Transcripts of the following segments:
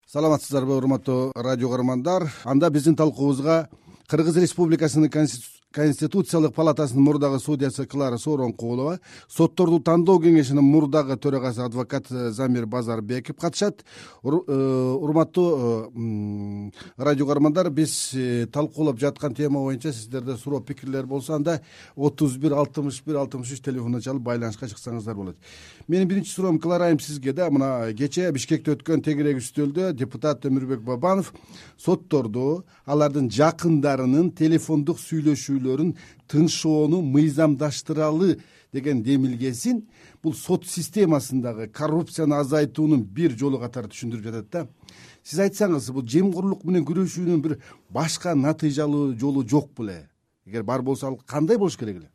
Саламатсыздарбы, урматтуу радио көрөрмандар. Анда биздин талкуубузга Кыргыз Республикасынын Конституциялык палатасынын мурдагы судьясы Клара Сооронкулова, сотторду тандоо кеңешинин мурдагы төрагасы адвокат Замир Базарбеков катышат. Урматтуу радио көрөрмандар, биз талкуулап жаткан тема боюнча сиздерде суроо пикирлер болсо, анда 31 61 63 телефонуна чалып байланышка чыксаңыздар болот. Менин биринчи суроом Клара айым сизге да. Мына кечээ Бишкекте өткөн тегерек үстөлдө депутат Өмүрбек Бабанов сотторду алардын жакындарынын телефондук сүйлөшүүлөрүн тынчшоону мыйзамдаштыралы деген демилгесин бул сот системасындагы коррупцияны азайтуунун бир жолу катары түшүндүрүп жатат да. Сиз айтсаңыз, бул жемкорлук менен күрөшүүнүн бир башка натыйжалуу жолу жок беле? Эгер бар болсо, ал кандай болуш керек эле?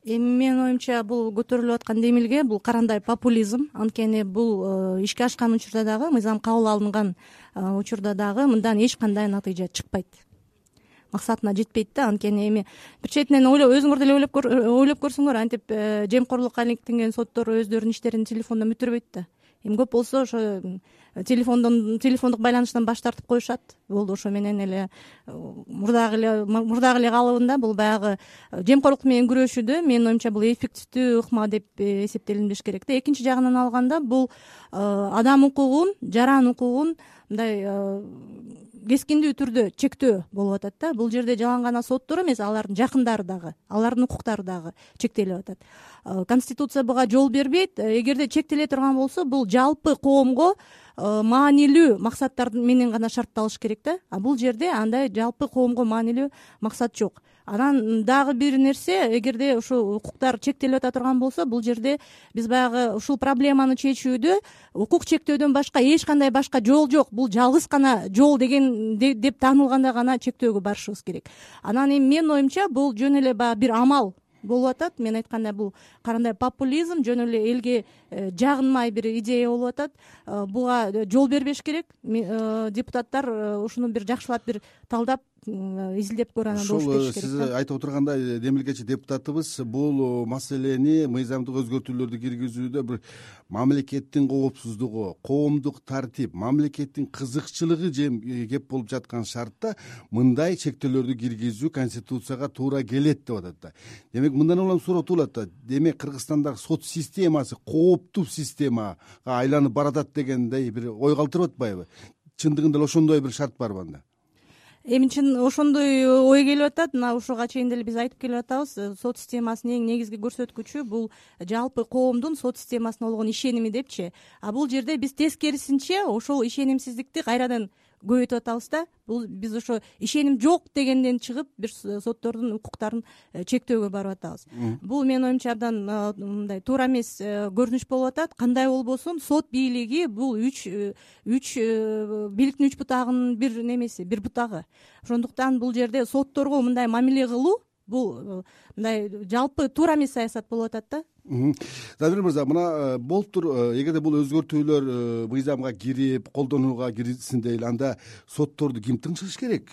Эми менин оюмча бул көтөрүлүп аткан демилге бул карандай популизм. Анткени бул ишке ашкан учурда дагы, мыйзам кабыл алынган учурда дагы мындан эч кандай натыйжа чыкпайт. Максатына жетпейт да. Анткени эми бир четинен өзүңөр деле ойлоп көрсөңөр, антип жемкорлукка иликтенген соттор өздөрүнүн иштерин телефондон бүтүрбөйт да. Эми көп болсо ошо телефондук байланыштан баш тартып коюшат. Болду, ошо менен эле мурдагы эле калыбында бул баягы жемкорлук менен күрөшүүдө менин оюмча бул эффективдүү ыкма деп эсептелинбеш керек да. Экинчи жагынан алганда бул адам укугун, жаран укугун мындай кескиндүү түрдө чектөө болуп атат да. Бул жерде жалаң гана соттор эмес, алардын жакындары дагы, алардын укуктары дагы чектелип атат. Конституция буга жол бербейт. Эгерде чектеле турган болсо, бул жалпы коомго маанилүү максаттар менен гана шартталыш керек да. А бул жерде андай жалпы коомго маанилүү максат жок. Анан дагы бир нерсе, эгерде ушул укуктар чектелип ата турган болсо, бул жерде биз баягы ушул проблеманы чечүүдө укук чектөөдөн башка эч кандай башка жол жок. Бул жалгыз гана жол деген деп таанылганда гана чектөөгө барышыбыз керек. Анан эми менин оюмча бул жөн эле баягы бир амал болуп атат. Мен айткандай, бул карандай популизм, жөн эле элге жагынмай бир идея болуп атат. Буга жол бербеш керек. Депутаттар ушуну бир жакшылап бир талдап изилдеп көрө, анан болуш керек. Сиз айтып отургандай, демилгечи депутатыбыз бул маселени, мыйзамдык өзгөртүүлөрдү киргизүүдө бир мамлекеттин коопсуздугу, коомдук тартип, мамлекеттин кызыкчылыгы кеп болуп жаткан шартта мындай чектөөлөрдү киргизүү Конституцияга туура келет деп атат да. Демек, мындан улам суроо туулат да. Демек, Кыргызстандагы сот системасы кооптуу системага айланып баратат дегендей бир ой калтырып атпайбы? Чындыгында эле ошондой бир шарт барбы анда? Эми чын ошондой ой келип атат. Мына ушуга чейин деле биз айтып келип атабыз. Сот системасынын эң негизги көрсөткүчү бул жалпы коомдун сот системасына болгон ишеними депчи. А бул жерде биз тескерисинче ошол ишенимсиздикти кайрадан көбөйтүп атабыз да. Бул биз ошо ишеним жок дегенден чыгып бир соттордун укуктарын чектөөгө барып атабыз. Бул менин оюмча абдан мындай туура эмес көрүнүш болуп атат. Кандай болбосун, сот бийлиги бул бийликтин үч бутагынын бир немеси, бир бутагы. Ошондуктан бул жерде сотторго мындай мамиле кылуу бул мындай жалпы туура эмес саясат болуп атат да. Замир мырза, мына болуптур, эгерде бул өзгөртүүлөр мыйзамга кирип, колдонууга кирилсин дейли, анда сотторду ким тыңшыш керек?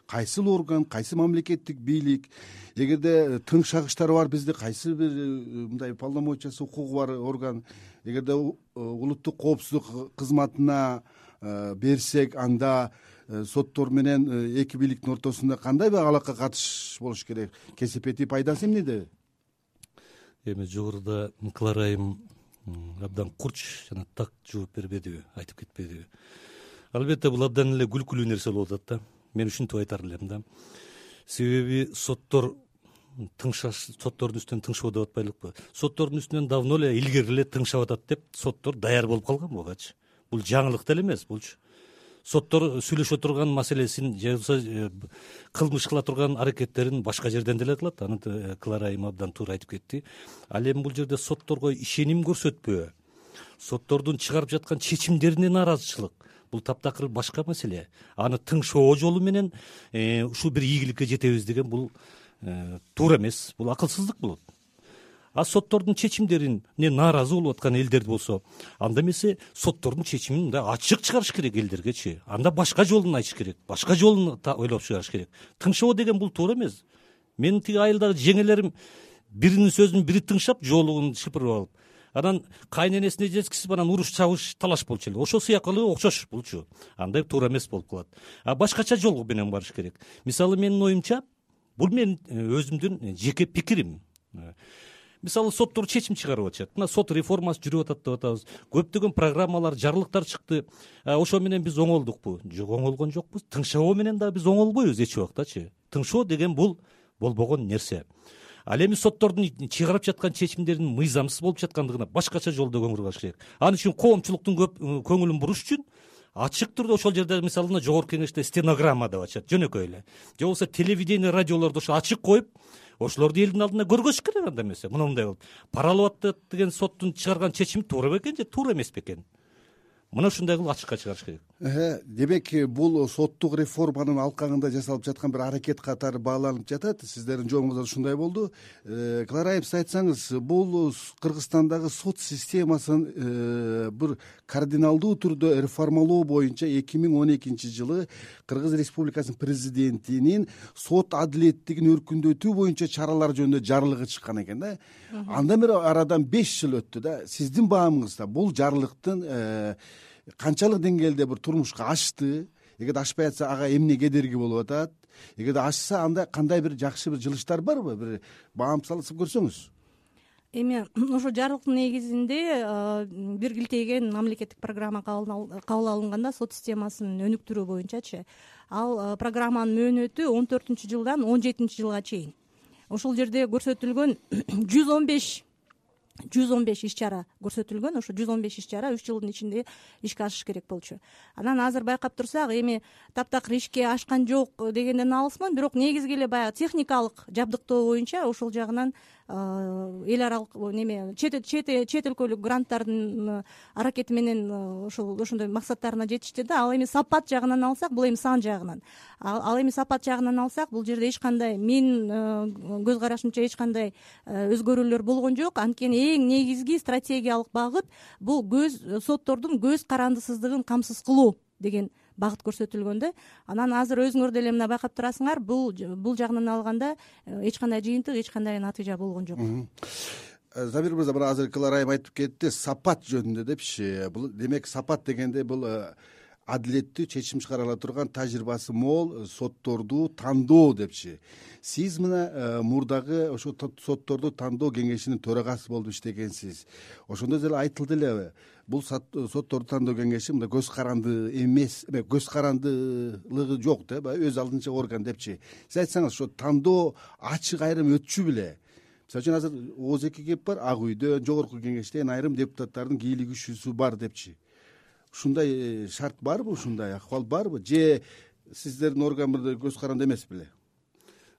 Кайсыл орган, кайсы мамлекеттик бийлик? Эгерде тыңшагычтар бар бизде, кайсы бир мындай полномочиясы, укугу бар орган? Эгерде улуттук коопсуздук кызматына берсек, анда соттор менен эки бийликтин ортосунда кандай бир алака катыш болуш керек? Кесепети, пайдасы эмнеде? Эми жогоруда Клара айым абдан курч жана так жооп бербедиби, айтып кетпедиби? Албетте, бул абдан эле күлкүлүү нерсе болуп атат да. Мен ушинтип айтар элем да. Себеби соттордун үстүнөн тыңшоо деп атпайлыкпы? Соттордун үстүнөн давно эле, илгери эле тыңшап атат деп соттор даяр болуп калган бугачы. Бул жаңылык деле эмес булчу. Соттор сүйлөшө турган маселесин же болбосо кылмыш кыла турган аракеттерин башка жерден деле кылат. Аны Клара айым абдан туура айтып кетти. Ал эми бул жерде сотторго ишеним көрсөтпөө, соттордун чыгарып жаткан чечимдерине нааразычылык, бул таптакыр башка маселе. Аны тыңшоо жолу менен ушул бир ийгиликке жетебиз деген бул туура эмес, бул акылсыздык болот. А соттордун чечимдерине нааразы болуп аткан элдер болсо, анда эмесе соттордун чечимин мындай ачык чыгарыш керек элдергечи. Анда башка жолун айтыш керек, башка жолун ойлоп чыгарыш керек. Тыңшоо деген бул туура эмес. Менин тиги айылдагы жеңелерим биринин сөзүн бири тыңшап, жоолугун шыпырып алып, анан кайненесине жеткизип анан уруш чабыш талаш болчу эле. Ошол сыяктуу окшош булчу. Андай туура эмес болуп калат. Башкача жол менен барыш керек. Мисалы менин оюмча бул менин өзүмдүн жеке пикирим. Мисалы соттор чечим чыгарып атышат. Мына сот реформасы жүрүп атат деп атабыз. Көптөгөн программалар, жарлыктар чыкты. Ошо менен биз оңолдукпу? Жок, оңолгон жокпуз. Тыңшоо менен да биз оңолбойбуз эч убактачы. Тыңшоо деген бул болбогон нерсе. Ал эми соттордун чыгарып жаткан чечимдеринин мыйзамсыз болуп жаткандыгына башкача жолдо көңүл бурулуш керек. Ал үчүн коомчулуктун көп көңүлүн буруш үчүн ачык түрдө ошол жерде мисалы мына жогорку кеңеште стенограмма деп атышат, жөнөкөй эле. Же болбосо телевидение, радиолордо ошо ачык коюп, ошолорду элдин алдында көргөзүш керек. Анда эмесе мындай болуп паралап атат деген соттун чыгарган чечими туура бекен же туура эмес бекен? Мына ушундай кылып ачыкка чыгарыш керек. Демек бул соттук реформанын алкагында жасалып жаткан бир аракет катары бааланып жатат. Сиздердин жоомуңузда ушундай болду. Клара айым, сиз айтсаңыз, бул Кыргызстандагы сот системасын бир кардиналдуу түрдө реформалоо боюнча 2012-жылы Кыргыз Республикасынын президентинин сот адилеттигин өркүндөтүү боюнча чаралар жөнүндө жарлыгы чыккан экен да. Андан бери арадан 5 жыл өттү да. Сиздин баамыңызда бул жарлыктын канчалык деңгээлде бир турмушка ашты? Эгерде ашпай атса, ага эмне кедерги болуп атат? Эгерде ашса, анда кандай бир жакшы бир жылыштар барбы? Бир баам салып көрсөңүз. Эми ошо жарлыктын негизинде бир килтейген мамлекеттик программа кабыл алынганда сот системасын өнүктүрүү боюнчачы, ал программанын мөөнөтү 14-жылдан 17-жылга чейин. Ошол жерде көрсөтүлгөн 115 иш-чара көрсөтүлгөн. Ошо 115 иш-чара 3 жылдын ичинде ишке ашыш керек болчу. Анан азыр байкап турсак, эми таптакыр ишке ашкан жок дегенден алысмын, бирок негизги эле баягы техникалык жабдыктоо боюнча ошол жагынан эл аралык неме чет өлкөлүк гранттардын аракети менен ошондой максаттарына жетишти да. Ал эми сапат жагынан алсак, бул эми сан жагынан. Ал эми сапат жагынан алсак, бул жерде эч кандай, менин көз карашымча эч кандай өзгөрүүлөр болгон жок. Анткени эң негизги стратегиялык багыт бул соттордун көз карандысыздыгын камсыз кылуу деген багыт көрсөтүлгөн да. Анан азыр өзүңөр деле мына байкап турасыңар, бул жагынан алганда эч кандай жыйынтык, эч кандай натыйжа болгон жок. Замир мырза, мына азыр Клара айым айтып кетти, сапат жөнүндө депчи. Бул демек сапат дегенде бул адилеттүү чечим чыгара ала турган тажрыйбасы мол сотторду тандоо депчи. Сиз мына мурдагы ошо сотторду тандоо кеңешинин төрагасы болуп иштегенсиз. Ошондо деле айтылды эле, бул сотторду тандоо кеңеши мындай көз каранды эмес, көз карандылыгы жок да, өз алдынча орган депчи. Сиз айтсаңыз, ошо тандоо ачык айрым өтчү беле? Мисалы үчүн азыр ооз-2 кеп бар, Ак үйдөн, жогорку кеңештен айрым депутаттардын кийлигишүүсү бар депчи. Ушундай шарт барбы, ушундай акыбал барбы, же сиздердин орган бир көз каранды эмес беле?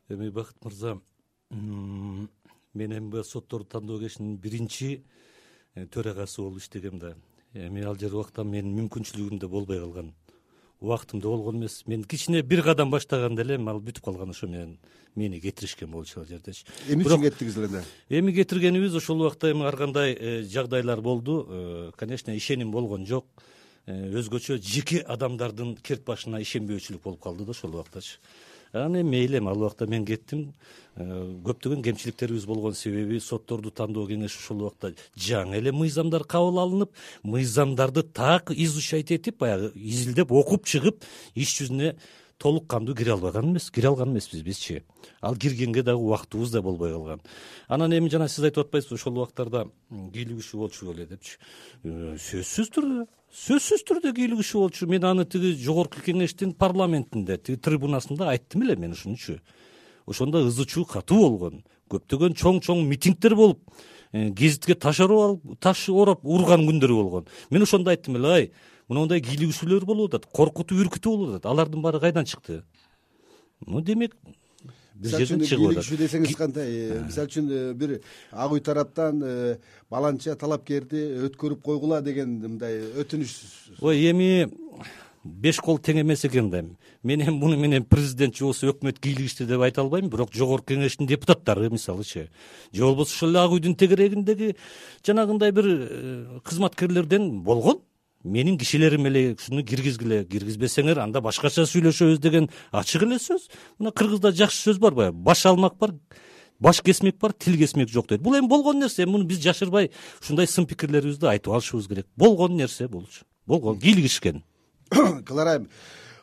Эми Бакыт мырза, мен эми сотторду тандоо кеңешинин биринчи төрагасы болуп иштегем да. Эми ал жер убакта менин мүмкүнчүлүгүм да болбой калган. Убактым да болгон эмес. Мен кичине бир кадам баштаганда эле ал бүтүп калган, ошо менен мени кетиришкен болчу ал жердечи. Эмне үчүн кеттиңиз эле? Эми кетиргенибиз ошол убакта эми ар кандай жагдайлар болду. Конечно, ишеним болгон жок. Өзгөчө жеке адамдардын керт башына ишенбөөчүлүк болуп калды да ошол убактачы. Анан мейли, ал убакта мен кеттим. Көптөгөн кемчиликтерибиз болгон себеби сотторду тандоо кеңеши ошол убакта жаңы эле мыйзамдар кабыл алынып, мыйзамдарды так изучать этип, баягы изилдеп окуп чыгып, иш жүзүнө толук кандуу кире алган эмеспиз бизчи. Ал киргенге дагы убактыбыз да болбой калган. Анан эми жана сиз айтып атпайсызбы, ошол убактарда кийлигишүү болчу беле депчи. Сөзсүз түрдө кийлигишүү болчу. Мен аны тиги жогорку кеңештин парламентинде, тиги трибунасында айттым эле мен ушунчу. Ошондо ызы чуу катуу болгон. Көптөгөн чоң митингдер болуп, гезитке таш ороп урган күндөр болгон. Мен ошондо айттым эле, ай, мындай кийлигишүүлөр болуп атат, коркутуп үркүтүү болуп атат. Алардын баары кайдан чыкты? Демек бир жерден чыгып атат. Кийлигишүү десеңиз кандай? Мисалы үчүн бир Ак үй тараптан баланча талапкерди өткөрүп койгула деген мындай өтүнүш. Ой, эми 5 кол тең эмес экен да. Мен эми муну менен президент же болбосо өкмөт кийлигишти деп айта албайм, бирок жогорку кеңештин депутаттары мисалычы, же болбосо ошол Ак үйдүн тегерегиндеги жанагындай бир кызматкерлерден болгон. Менин кишилерим эле ушуну киргизгиле, киргизбесеңер анда башкача сүйлөшөбүз деген ачык эле сөз. Мына кыргызда жакшы сөз бар, баш алмак бар, баш кесмек бар, тил кесмек жок дейт. Бул эми болгон нерсе, муну биз жашырбай ушундай сын пикирлерибизди айтып алышыбыз керек. Болгон нерсе булчу, болгон кийлигишкен. Клара айым,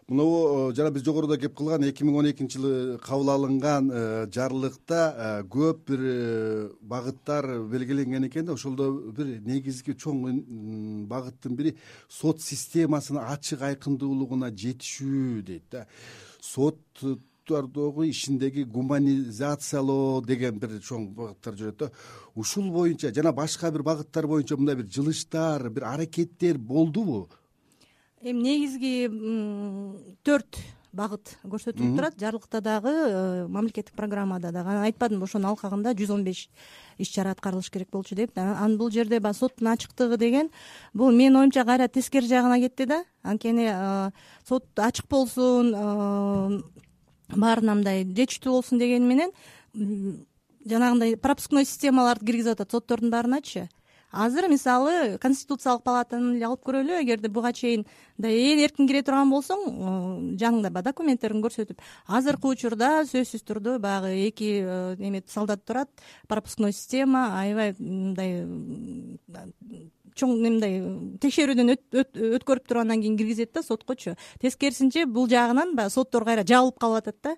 мына жана биз жогоруда кеп кылган 2012-жылы кабыл алынган жарлыкта көп бир багыттар белгиленген экен да, ошолдо бир негизги чоң багыттын бири сот системасынын ачык айкындуулугуна жетишүү дейт да. Соттардагы ишиндеги гуманизациялоо деген бир чоң багыттар жүрөт да. Ушул боюнча жана башка бир багыттар боюнча мындай бир жылыштар, бир аракеттер болдубу? Эми негизги 4 багыт көрсөтүлүп турат. Жарлыкта дагы, мамлекеттик программада дагы. Анан айтпадымбы, ошонун алкагында 115 иш-чара аткарылыш керек болчу деп. Анан бул жерде баягы соттун ачыктыгы деген бул менин оюмча кайра тескери жагына кетти да. Анткени сот ачык болсун, баарына мындай жетиштүү болсун дегени менен жанагындай пропускной системаларды киргизип атат соттордун баарыначы. Азыр мисалы Конституциялык палатаны эле алып көрөлү. Эгерде буга чейин ээн эркин кире турган болсоң, жаныңда баягы документтерин көрсөтүп, азыркы учурда сөзсүз түрдө баягы 2 солдат турат, пропускной система, аябай мындай чоң мындай текшерүүдөн өткөрүп туруп андан кийин киргизет да соткочу. Тескерисинче бул жагынан баягы соттор кайра жабылып калып атат да.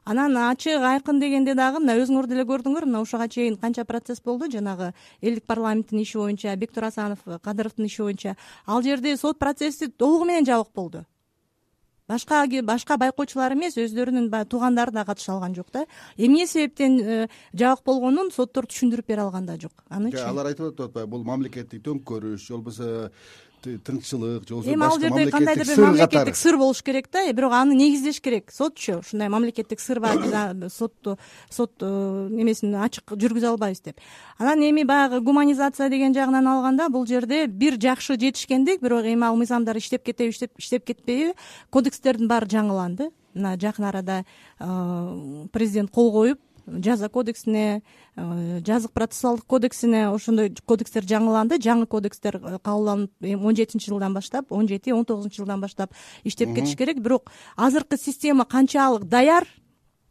Анан ачык айкын дегенде дагы мына өзүңөр деле көрдүңөр, мына ушуга чейин канча процесс болду жанагы элдик парламенттин иши боюнча, Бектур Асанов, Кадыровдун иши боюнча. Ал жерде сот процесси толугу менен жабык болду. Башка байкоочулар эмес, өздөрүнүн баягы туугандары да катыша алган жок да. Эмне себептен жабык болгонун соттор түшүндүрүп бере алган да жок. Анычы алар айтып атпайбы, бул мамлекеттик төңкөрүш, же болбосо тынччылык, же болбосо эми ал жерде кандайдыр бир мамлекеттик сыр болуш керек да, бирок аны негиздеш керек. Сотчу ушундай мамлекеттик сыр бар, сот немесин ачык жүргүзө албайбыз деп. Анан эми баягы гуманизация деген жагынан алганда бул жерде бир жакшы жетишкендик, бирок эми ал мыйзамдар иштеп кетеби, иштеп кетпейби, кодекстердин баары жаңыланды. Мына жакын арада президент кол коюп, жаза кодексине, жазык процессуалдык кодексине ошондой кодекстер жаңыланды. Жаңы кодекстер кабылданып 17-жылдан баштап, 17-19-жылдан баштап иштеп кетиш керек. Бирок азыркы система канчалык даяр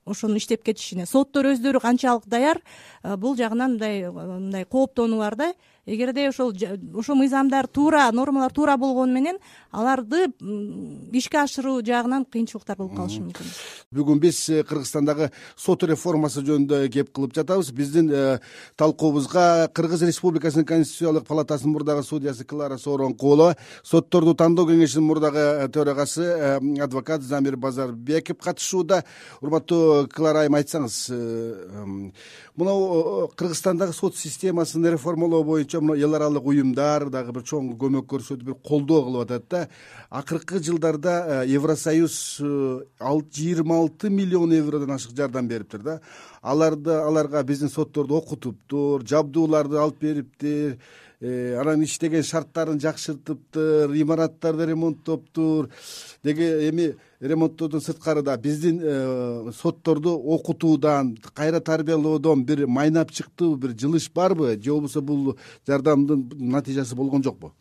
ошону иштеп кетишине, соттор өздөрү канчалык даяр, бул жагынан мындай кооптонуу бар да. Эгерде ошол мыйзамдар туура, нормалар туура болгону менен аларды ишке ашыруу жагынан кыйынчылыктар болуп калышы мүмкүн. Бүгүн биз Кыргызстандагы сот реформасы жөнүндө кеп кылып жатабыз. Биздин талкуубузга Кыргыз Республикасынын Конституциялык палатасынын мурдагы судьясы Клара Сооронкулова, сотторду тандоо кеңешинин мурдагы төрагасы адвокат Замир Базарбеков катышууда. Урматтуу Клара айым, айтсаңыз, мына Кыргызстандагы сот системасын реформалоо боюнча эл аралык уюмдар дагы бир чоң көмөк көрсөтүп, бир колдоо кылып атат да. Акыркы жылдарда Евросоюз 26 миллион евродон ашык жардам бериптир да. Аларга биздин сотторду окутуптур, жабдууларды алып бериптир, анан иштеген шарттарын жакшыртыптыр, имараттарды ремонттоптур. Деги эми ремонттоодон сырткары да биздин сотторду окутуудан, кайра тарбиялоодон бир майнап чыктыбы, бир жылыш барбы, же болбосо бул жардамдын натыйжасы болгон жокпу?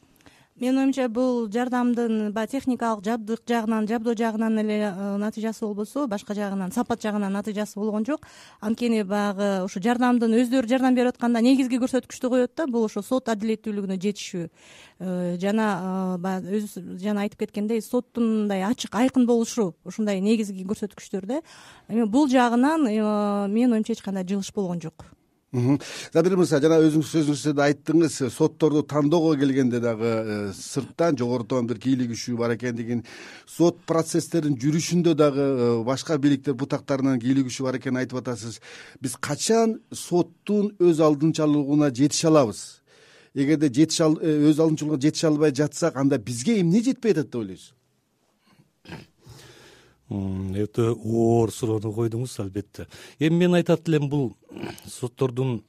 Менин оюмча бул жардамдын баягы техникалык жабдык жагынан, жабдоо жагынан эле натыйжасы болбосо, башка жагынан, сапат жагынан натыйжасы болгон жок. Анткени баягы ушу жардамдын өздөрү жардам берип атканда негизги көрсөткүчтү коет да, бул ошо сот адилеттүүлүгүнө жетишүү. Жана баягы жана айтып кеткендей, соттун мындай ачык, айкын болушу ушундай негизги көрсөткүчтөр да. Эми бул жагынан менин оюмча эч кандай жылыш болгон жок. Забир мырза, жана өзүңүз сөзүңүздө да айттыңыз, сотторду тандоого келгенде дагы сырттан, жогорудон бир кийлигишүү бар экендигин, сот процесстерин жүрүшүндө дагы башка бийликтер бутактарынан кийлигишүү бар экенин айтып атасыз. Биз качан соттун өз алдынчалуулугуна жетише алабыз? Эгерде өз алдынчалуулугуна жетише албай жатсак, анда бизге эмне жетпей атат деп ойлойсуз? Өтө оор суроону койдуңуз, албетте. Эми мен айтат элем, бул соттордун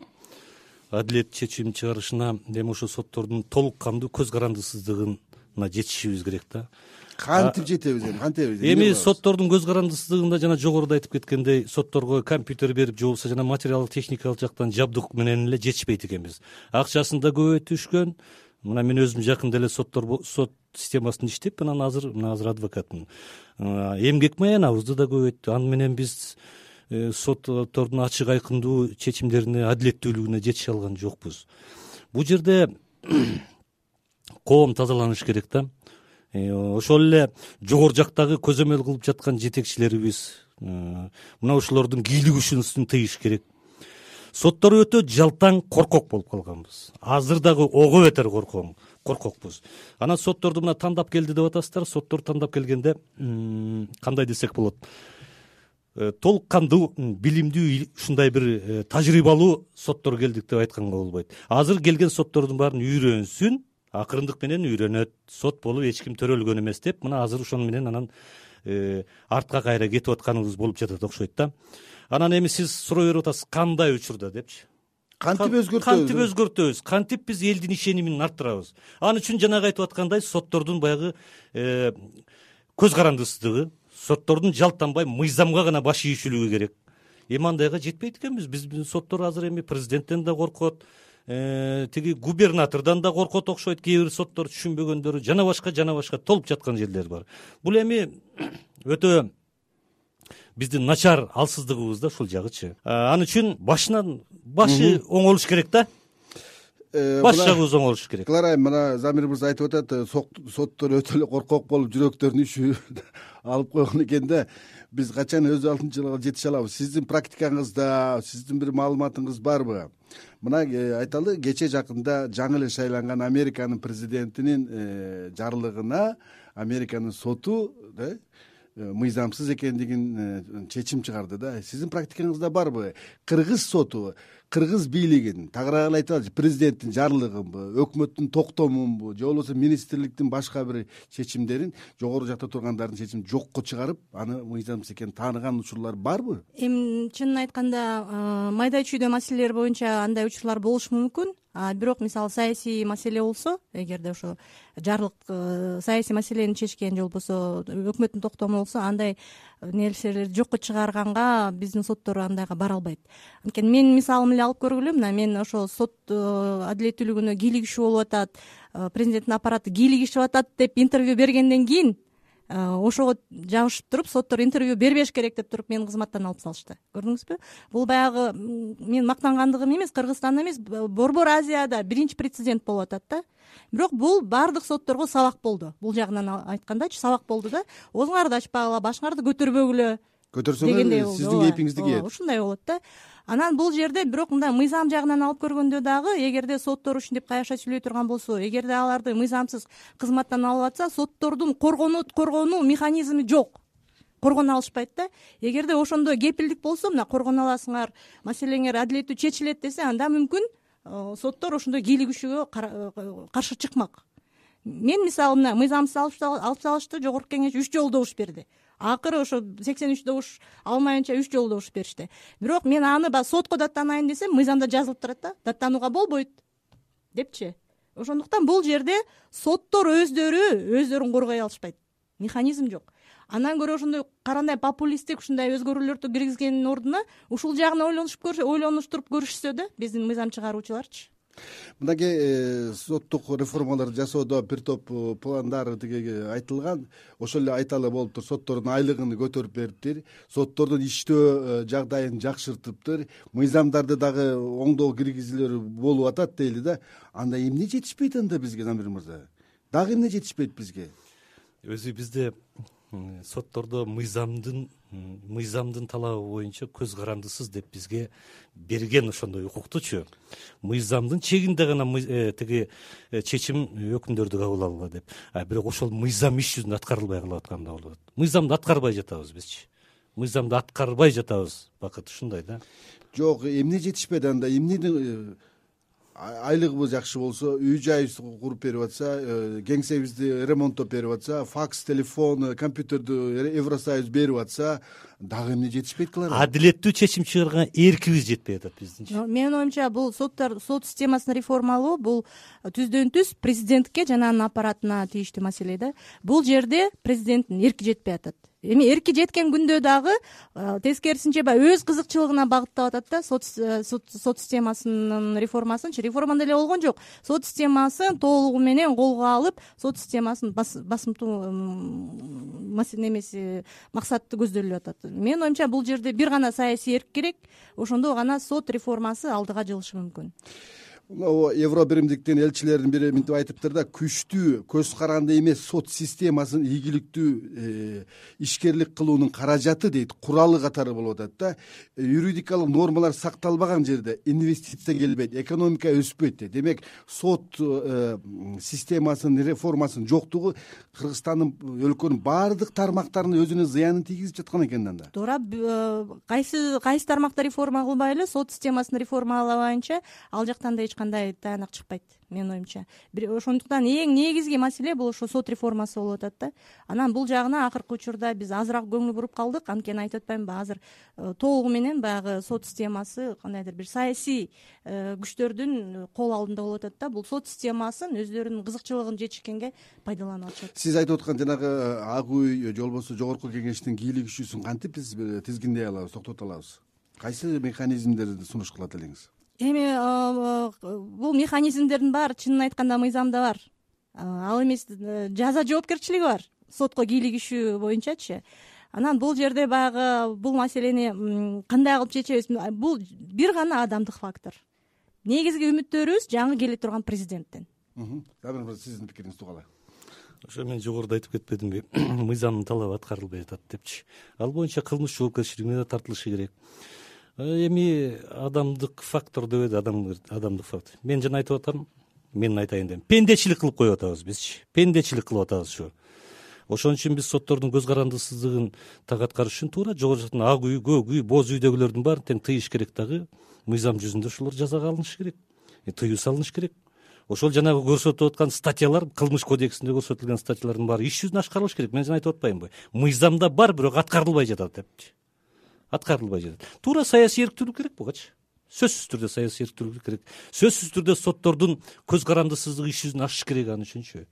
адилет чечим чыгарышына, эми ошо соттордун толук кандуу көз карандысыздыгына жетишибиз керек да. Кантип жетебиз эми, кантебиз? Эми соттордун көз карандысыздыгында жана жогоруда айтып кеткендей, сотторго компьютер берип, же болбосо жана материалдык техникалык жактан жабдык менен эле жетишпейт экенбиз. Акчасын да көбөйтүшкөн. Мына мен өзүм жакында эле сот системасында иштеп, анан азыр адвокатмын. Эмгек маянабызды да көбөйттү. Аны менен биз соттордун ачык айкындуу чечимдерине, адилеттүүлүгүнө жетише алган жокпуз. Бул жерде коом тазаланыш керек да. Ошол эле жогору жактагы көзөмөл кылып жаткан жетекчилерибиз мына ушулордун кийлик күчүн тыйыш керек. Соттор өтө жалтаң, коркок болуп калганбыз. Азыр дагы ого бетер коркокпуз. Анан сотторду мына тандап келди деп атасыздар. Соттор тандап келгенде кандай десек болот? Толук кандуу, билимдүү, ушундай бир тажрыйбалуу соттор келдик деп айтканга болбойт. Азыр келген соттордун баарын үйрөнсүн, акырындык менен үйрөнөт. Сот болуп эч ким төрөлгөн эмес деп, мына азыр ошону менен анан артка кайра кетип атканыбыз болуп жатат окшойт да. Анан эми сиз суроо берип атасыз, кандай учурда депчи. Кантип өзгөртөбүз? Кантип биз элдин ишенимин арттырабыз? Аны үчүн жанагы айтып аткандай соттордун баягы көз карандысыздыгы, соттордун жалтанбай мыйзамга гана баш ийишүүлүгү керек. Эми андайга жетпейт экенбиз. Биздин соттор азыр эми президенттен да коркот, тиги губернатордон да коркот окшойт. Кээ бир соттор түшүнбөгөндөрү жана башка толуп жаткан жерлер бар. Бул эми өтө биздин начар алсыздыгыбыз да ушул жагычы. Ал үчүн башы оң болуш керек да. Баш жагыбыз оң болуш керек. Клара, мына Замир мырза айтып атат, соттор өтө эле коркок болуп жүрөктөрүн иши алып койгон экен да. Биз качан өз алдынча жетише алабыз? Сиздин практикаңызда, сиздин бир маалыматыңыз барбы? Мына айталы, кече жакында жаңы эле шайланган Американын президентинин жарлыгына Американын соту мыйзамсыз экендигин чечим чыгарды да. Сиздин практикаңызда барбы? Кыргыз соту, кыргыз бийлигин тагыраагы айталы, президенттин жарлыгынбы, өкмөттүн токтомунбу, же болбосо министрликтин башка бир чечимдерин жогору жакта тургандардын чечимин жокко чыгарып, аны мыйзамсыз экенин тааныган учурлар барбы? Эми чынын айтканда, майда чүйдө маселелер боюнча андай учурлар болушу мүмкүн. Бирок мисалы саясий маселе болсо, эгерде ошо жарлык саясий маселени чечкен же болбосо өкмөттүн токтому болсо, андай нерселерди жокко чыгарганга биздин соттор андайга бара албайт. Анткени менин мисалым эле алып көргүлө, мына мен ошо сот адилеттүүлүгүнө кийлигишүү болуп атат, президенттин аппараты кийлигишип атат деп интервью бергенден кийин ошого жабышып туруп, соттор интервью бербеш керек деп туруп мени кызматтан алып салышты. Көрдүңүзбү? Бул баягы мен мактангандыгым эмес, Кыргызстанда эмес, Борбор Азияда биринчи прецедент болуп атат да. Бирок бул баардык сотторго сабак болду. Бул жагынан айткандачы сабак болду да. Оозуңарды ачпагыла, башыңарды көтөрбөгүлө. Көтөрсөңөр сиздин кепиңизди кийет. Ушундай болот да. Анан бул жерде бирок мындай мыйзам жагынан алып көргөндө дагы, эгерде соттор ушинтип каяша сүйлөй турган болсо, эгерде аларды мыйзамсыз кызматтан алып атса, соттордун коргонуу механизми жок. Коргоно алышпайт да. Эгерде ошондой кепилдик болсо, мына коргоно аласыңар, маселеңер адилеттүү чечилет десе, анда мүмкүн соттор ошондой кийлигишүүгө каршы чыкмак. Мен мисалы мына мыйзамсыз алып салышты, жогорку кеңеш 3 жолу добуш берди. Акыры ошо 83 добуш алмайынча 3 жолу добуш беришти. Бирок мен аны сотко даттанайын десем, мыйзамда жазылып турат да, даттанууга болбойт депчи. Ошондуктан бул жерде соттор өздөрүн коргой алышпайт. Механизм жок. Андан көрө ошондой карандай популисттик ушундай өзгөрүүлөрдү киргизгендин ордуна ушул жагын ойлонуштуруп көрүшсө да, биздин мыйзам чыгаруучуларчы. Мынакей соттук реформаларды жасоодо бир топ пландар тиги айтылган. Ошол эле айталы болуптур. Соттордун айлыгын көтөрүп бериптир, соттордун иштөө жагдайын жакшыртыптыр, мыйзамдарды дагы оңдоо киргизүүлөр болуп атат дейли да. Анда эмне жетишпейт анда бизге, Замир мырза? Дагы эмне жетишпейт бизге? Өзү бизде соттордо мыйзамдын талабы боюнча көз карандысыз деп бизге берген ошондой укуктучу. Мыйзамдын чегинде гана тиги чечим өкүмдөрдү кабыл алгыла деп. Бирок ошол мыйзам иш жүзүндө аткарылбай калып атканда болот. Мыйзамды аткарбай жатабыз бизчи. Мыйзамды аткарбай жатабыз. Бакыт ушундай да. Жок, эмне жетишпейт анда? Эмнедин айлыгыбыз жакшы болсо, үй жайыбыз куруп берип атса, кеңсебизди ремонттоп берип атса, факс, телефон, компьютерди Евросоюз берип атса, дагы эмне жетишпейт кылар? Адилеттүү чечим чыгарган эркибиз жетпей атат биздинчи. Менин оюмча, бул сот системасын реформалоо бул түздөн-түз президентке жана анын аппаратына тийиштүү маселе да. Бул жерде президенттин эрки жетпей атат. Эми эрки жеткен күндө дагы тескерисинче өз кызыкчылыгына багыттап атат да. Сот системасынын реформасынчы реформада эле болгон жок. Сот системасын толугу менен колго алып, сот системасын басымтуу немеси максаты көздөлүп атат. Менин оюмча бул жерде бир гана саясий эрк керек, ошондо гана сот реформасы алдыга жылышы мүмкүн. Евро биримдиктин элчилеринин бири мынтип айтыптыр да, күчтүү, көз каранды эмес сот системасын ийгиликтүү ишкерлик кылуунун каражаты дейт, куралы катары болуп атат да. Юридикалык нормалар сакталбаган жерде инвестиция келбейт, экономика өспөйт дейт. Демек сот системасынын реформасынын жоктугу Кыргызстандын өлкөнүн баардык тармактарына өзүнө зыянын тийгизип жаткан экен анда. Туура, кайсы тармакта реформа кылбайлы, сот системасын реформалабайынча ал жактан да кандай таянак чыкпайт менин оюмча. Ошондуктан эң негизги маселе бул ошо сот реформасы болуп атат да. Анан бул жагына акыркы учурда биз азыраак көңүл буруп калдык. Анткени айтып атпаймынбы, азыр толугу менен баягы сот системасы кандайдыр бир саясий күчтөрдүн кол алдында болуп атат да. Бул сот системасын өздөрүнүн кызыкчылыгын жетишкенге пайдаланып атышат. Сиз айтып аткан жанагы ак үй же болбосо жогорку кеңештин кийлик күчүсүн кантип биз тизгиндей алабыз, токтото алабыз? Кайсы механизмдерди сунуш кылат элеңиз? Эми бул механизмдердин баары чынын айтканда мыйзамда бар. Ал эмес жаза жоопкерчилиги бар сотко кийлик күчү боюнчачы. Анан бул жерде баягы бул маселени кандай кылып чечебиз? Бул бир гана адамдык фактор. Негизги үмүттөрүбүз жаңы келе турган президенттен. Сиздин пикириңиз калай? Ошо мен жогоруда айтып кетпедимби, мыйзамдын талабы аткарылбай жатат депчи. Ал боюнча кылмыш жоопкерчилигине да тартылышы керек. Эми адамдык фактор дебеди, адамдык фактор. Мен жана айтып атам, мен айтайын дедим. Пендечилик кылып коюп атабыз бизчи. Пендечилик кылып атабыз ушу. Ошон үчүн биз соттордун көз карандысыздыгын так аткарыш үчүн туура жогору жактан ак үй, көк үй, боз үйдөгүлөрдүн баарын тең тыйыш керек дагы. Мыйзам жүзүндө ошолор жазага алынышы керек. Тыюу салыныш керек. Ошол жанагы көрсөтүп аткан статьялар, кылмыш кодексинде көрсөтүлгөн статьялардын баары иш жүзүндө ашкарылыш керек. Мен жана айтып атпаймынбы? Мыйзамда бар, бирок аткарылбай жатат депчи. Аткарылбай жатат. Туура саясий эрктүүлүк керек бугачы. Сөзсүз түрдө саясий эрктүүлүк керек. Сөзсүз түрдө соттордун көз карандысыздыгы иш жүзүнө ашыш керек аны үчүнчү.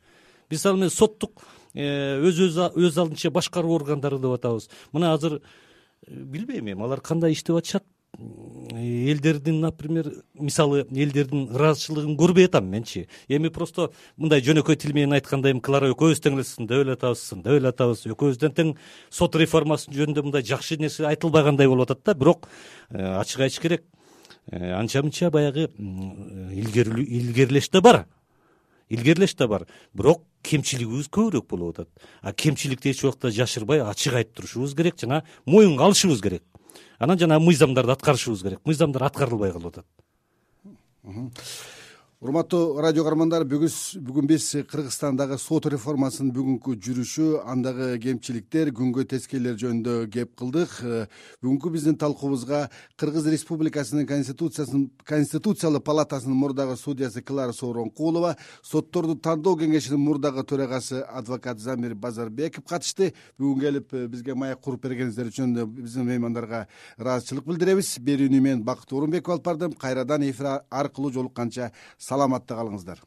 Биз ал менен соттук өз алдынча башкаруу органдары деп атабыз. Мына азыр билбейм эми алар кандай иштеп атышат. Элдердин, например, мисалы элдердин ыраазычылыгын көрбөй атам менчи. Эми просто мындай жөнөкөй тил менен айтканда эми Клара экөөбүз тең эле сындап эле атабыз, экөөбүздөн тең сот реформасы жөнүндө мындай жакшы нерсе айтылбагандай болуп атат да. Бирок ачык айтыш керек, анча мынча баягы илгерилеш да бар. Бирок кемчилигибиз көбүрөөк болуп атат. Кемчиликти эч убакта жашырбай ачык айтып турушубуз керек жана моюнга алышыбыз керек. Анан жана мыйзамдарды аткарышыбыз керек. Мыйзамдар аткарылбай калып атат. Урматтуу радио каармандар, бүгүн биз Кыргызстандагы сот реформасынын бүгүнкү жүрүшү, андагы кемчиликтер, күнгөй тескейлер жөнүндө кеп кылдык. Бүгүнкү биздин талкуубузга Кыргыз Республикасынын Конституциялык палатасынын мурдагы судьясы Клара Сооронкулова, сотторду тандоо кеңешинин мурдагы төрагасы адвокат Замир Базарбеков катышты. Бүгүн келип бизге маек куруп бергениңиздер үчүн биздин меймандарга ыраазычылык билдиребиз. Берүүнү мен Бакыт Орунбеков алып бардым. Кайрадан эфир аркылуу жолукканча саламатта калыңыздар.